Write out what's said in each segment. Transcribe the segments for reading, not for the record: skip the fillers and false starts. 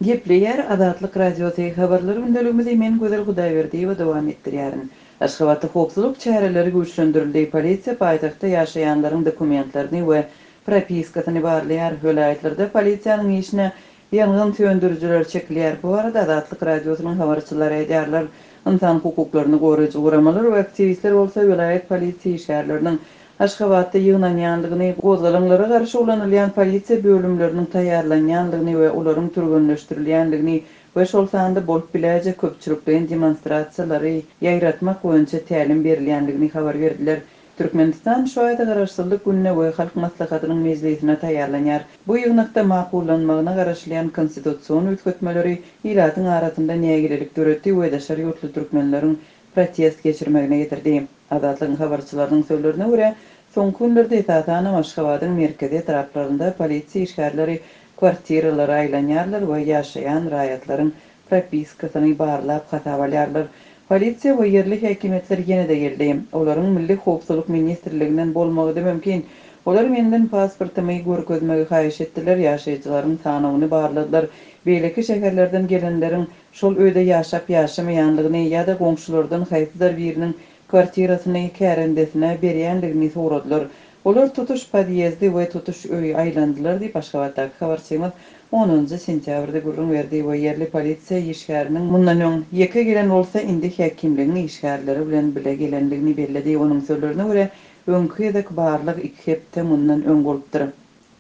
Gepleýär Azatlyk Radiosy, Habarlar gündeligimizi men Gözel Hudaýberdiýewa dowam etdirýärin. Aşgabatda howpsuzlyk çäreleri güýçlendirildi, polisiýa paýtagtda ýaşaýanlaryň dokumentlerini we propiskasyny barlaýar, welaýatlarda polisiýanyň işine ýangyn söndürijiler çekilýär. Bu barada Azatlyk Radiosynyň habarçylary aýdýarlar. Ynsan hukuklaryny goraýjy guramalar we aktiwistler bolsa welaýat polisiýa işgärleriniň Aşgabatda ýygnanýandygyny, gozgalaňlara garşy ulanylýan polisiýa bölümleriniň taýýarlanýandygyny we olaryň türgenleşdirilýändigini we şol sanda bolup biläýjek köpçülikleýin demonstrasiýalary ýaýratmak boýunça tälim berilýändigini habar berdiler. Türkmenistan şu aýda Garaşsyzlyk gününe we Halk Maslahatynyň mejlisine taýýarlanýar. Bu ýygnakda makullanmagyna garaşylýan konstitusion üýtgetmeleri ilatyň arasynda nägilelik döretdi we daşary ýurtly türkmenleriň protest geçirmegine getirdi. Azatlygyň habarçylarynyň sözlerine görä, soňky günlerde esasanam Aşgabadyň merkezi etraplarynda polisiýa işgärleri kwartiralara aýlanýarlar we ýaşaýan raýatlaryň propiskasyny barlap hasaba alýarlar. Polisiýa we ýerli häkimiýetler ýene-de geldi. Olaryň Milli howpsuzlyk ministrliginden bolmagy-da mümkin. Olar menden pasportymy görkezmegi haýyş etdiler, ýaşaýjylaryň sanawyny barladylar, beýleki şäherlerden gelenleriň şol öýde ýaşap-ýaşamaýandygyny ýa-da goňşulardan haýsydyr biriniň kwartirasyny kärendesine berýändigini soradylar. Olar tutuş podýezdi we tutuş öýi aýlandylar diýip, Aşgabatdaky habarçymyz onunjy sentýabrda gürrüň berdi we ýerli polisiýa işgäriniň mundan öň ýeke gelen bolsa, indi häkimligiň işgärleri bilen bile gelendigini belledi. Onuň sözlerine görä, öňki gezek barlag iki hepde mundan öň bolupdyr.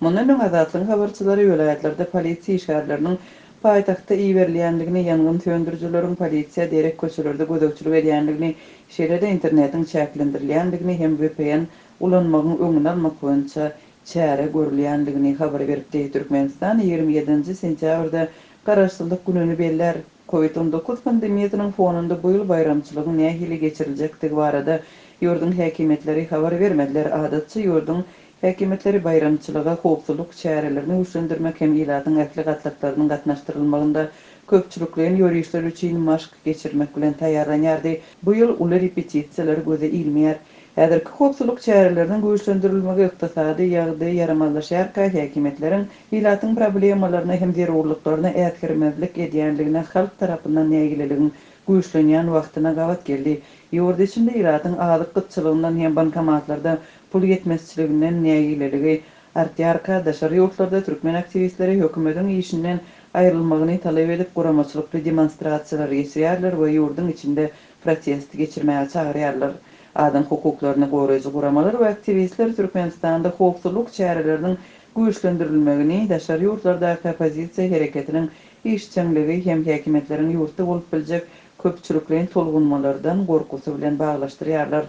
Mundan öň Azatlygyň habarçylary welaýatlarda polisiýa işgärleriniň paýtagtda iberilýändigini, ýangyn söndürijileriň polisiýa derek köçelerde gözegçilik edýändigini, şeýle-de internetiň çäklendirilýändigini hem vpn ulanmagyň öňüni almak boýunça çäre görülýändigini habar beripdi. Türkmenistan 27-nji sentýabrda Garaşsyzlyk gününi bellär. Covid 19 pandemiýasynyň fonunda bu ýyl baýramçylygyň nähili geçiriljekdigi barada ýurduň häkimiýetleri habar bermediler. Adatça ýurduň Häkimiýetleri baýramçylyga howpsuzlyk çärelerini güýçlendirmek hem ilatyň ähli gatlaklarynyň gatnaşdyrylmagynda köpçülikleýin ýörişler üçin maşk geçirmek bilen taýýarlanýardy. Bu ýyl uly repetisiýalar göze ilmeýär. Häzirki howpsuzlyk çäreleriniň güýçlendirilmegi ykdysady ýagdaý ýaramazlaşýarka häkimiýetleriň ilatyň problemalaryna hem zerurlyklaryna äsgermezlik edýänligine halk tarapyndan nägileligiň güýçlenýän wagtyna gabat geldi. Ýurt içinde ilatyň azyk gytçylygyndan hem bankomatlarda pul ýetmezçiliginden nägileligi artýarka, daşary ýurtlarda türkmen aktiwistleri hökümetiň işinden aýrylmagyny talap edip guramaçylykly demonstrasiýalary geçirýärler we ýurduň içinde protest geçirmäge çagyrýarlar. Adam hukuklaryny goraýjy guramalar we aktiwistler Türkmenistanda howpsuzlyk çäreleriniň güýçlendirilmegini daşary ýurtlardaky oppozisiýa hereketiniň işjeňligi hem häkimiýetleriň ýurtda bolup biljek köpçülikleýin tolgunmalardan gorkusy bilen baglaşdyrýarlar.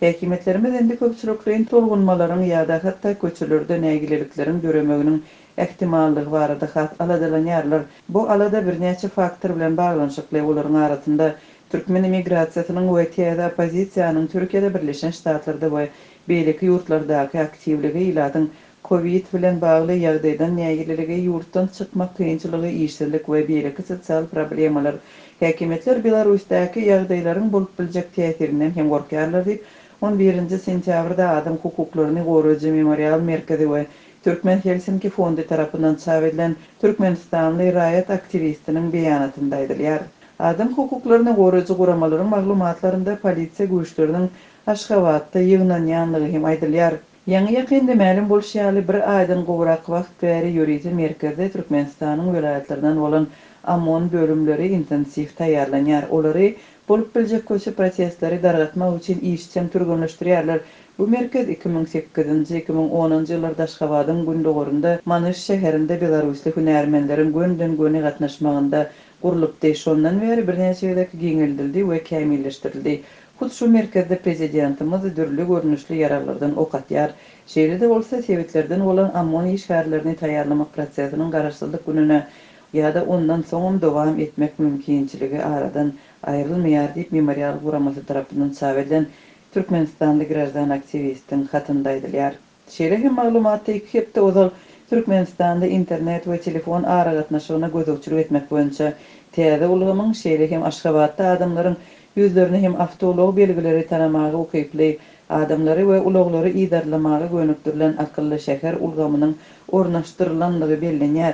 Häkimiýetlerimiz indi köpçülikleýin tolgunmalaryň ýa-da hatda köçelerde nägilelikleriň döremeginiň ähtimallygy barada has aladalanýarlar. Bu alada birnäçe faktor bilen baglanyşykly, olaryň arasynda türkmen emigrasiýasynyň we täze oppozisiýanyň Türkiýede, Birleşen Ştatlarda we beýleki ýurtlardaky aktiwligi, ilatyň Kowid bilen bagly ýagdaýdan nägileligi, ýurtdan çykmak kynçylygy, işsizlik we beýleki sosial problemalar. Häkimiýetler Belarusdaky ýagdaýlaryň bolup biljek täsirinden hem gorkýarlar diýip, on birinji sentýabrda adam hukuklaryny goraýjy Memorial merkezi we Türkmen Helsinki fondy tarapyndan çap edilen türkmenistanly raýat aktiwistiniň beýanatynda aýdylýar. Adam hukuklaryny goraýjy guramalaryň maglumatlarynda polisiýa güýçleriniň Aşgabatda ýygnanýanlygy hem aýdylýar. Ýaňy-ýakynda mälim bolşy ýaly, bir aýdan gowrak wagt bäri ýörite merkezde Türkmenistanyň welaýatlaryndan bolan OMON bölümleri intensiw taýýarlanýar. Olary bolup biljek köçe protestleri dargatmak üçin işjeň türgenleşdirýärler. Bu merkez 2008-nji, 2010-njy ýyllarda Aşgabadyň gündogarynda, Manyş şäherinde belarusly hünärmenleriň gönden-göni gatnaşmagynda gurlupdy. Şondan bäri birnäçe gezek giňeldildi we kämilleşdirildi. Hut şu merkezde prezidentimiz dürli görnüşli ýaraglardan ok atýar. Şeýle-de bolsa, sebitlerden bolan OMON işgärlerini taýýarlamak prosesiniň Garaşsyzlyk gününe ýa-da ondan soňam dowam etmek mümkinçiligi aradan aýrylmaýar diýip, Memorial guramasy tarapyndan çap edilen türkmenistanly graždan aktiwistiň hatynda aýdylýar. Şeýle hem maglumatda iki hepde ozal Türkmenistanda internet we telefon aragatnaşygyna gözegçilik etmek boýunça täze ulgamyň, şeýle hem Aşgabatda adamlaryň ýüzlerini hem awtoulag belgileri tanamaga ukyply adamlary we ulaglary yzarlamaga gönükdirilen akylly şäher ulgamynyň ornaşdyrylandygy bellenýär.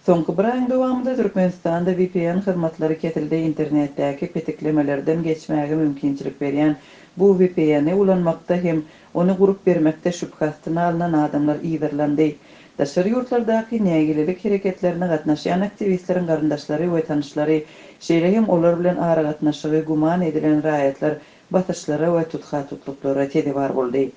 Soňky bir aýyň dowamynda Türkmenistanda vpn hyzmatlary kesildi, internetdäki petiklemelerden geçmäge mümkinçilik berýän bu VPN-i ulanmakda hem ony gurup bermekde şübhe astyna alnan adamlar yzarlandy. Daşary ýurtlardaky nägilelik hereketlerine gatnaşýan aktiwistleriň garyndaşlary we tanyşlary, şeýle hem olar bilen aragatnaşygy güman edilen raýatlar basyşlara we tutha-tutluklara sezewar boldy.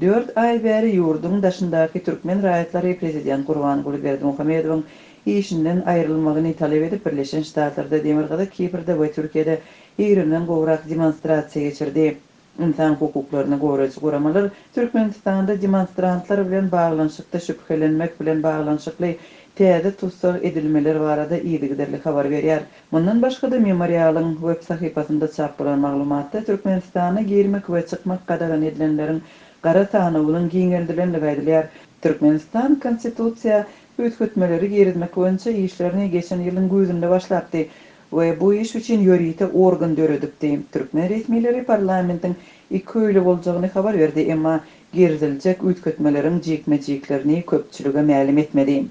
Dört aý bäri ýurduň daşyndaky türkmen raýatlary prezident Gurbanguly Berdimuhamedowyň işinden aýrylmagyny talap edip Birleşen Ştatlarda, Demirgazyk Kiprde we Türkiýede ýigrimden gowrak demonstrasiýa geçirdi. Ynsan hukuklaryny goraýjy guramalar Türkmenistanda demonstrantlar bilen baglanyşykda şübhelenmek bilen baglanyşykly täze tussag edilmeler barada yzygiderli habar berýär. Mundan başga-da, Memorialyň web sahypasynda çap bolan maglumatda Türkmenistana girmek we çykmak gadagan edilenleriň gara sanawynyň giňeldilendigi aýdylýar. Türkmenistan Konstitusiýa üýtgetmeleri girizmek boýunça işlerini geçen ýylyň güýzünde başlapdy we bu iş üçin ýörite organ döredipdi. Türkmen resmileri parlamentiň ikiöýli boljagyny habar berdi, emma giriziljek üýtgetmeleriň jikme-jiklerini köpçülige mälim etmedi.